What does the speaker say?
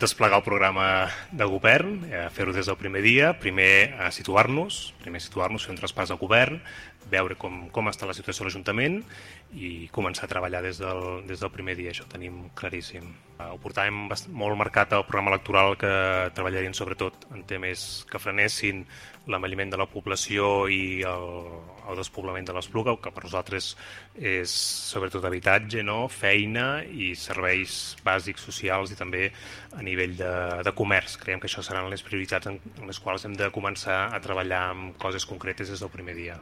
desplegar el programa de govern, fer-ho des del primer dia, primer situar-nos, fer un traspàs de govern, veure com està la situació a l'Ajuntament i començar a treballar des del primer dia, això ho tenim claríssim. Ho portàvem molt marcat al programa electoral que treballarien sobretot en temes que frenessin l'envelliment de la població i el despoblament de l'Espluga, que per nosaltres és sobretot habitatge, feina i serveis bàsics socials i també a nivell de comerç. Creiem que això seran les prioritats en les quals hem de començar a treballar amb coses concretes des del primer dia.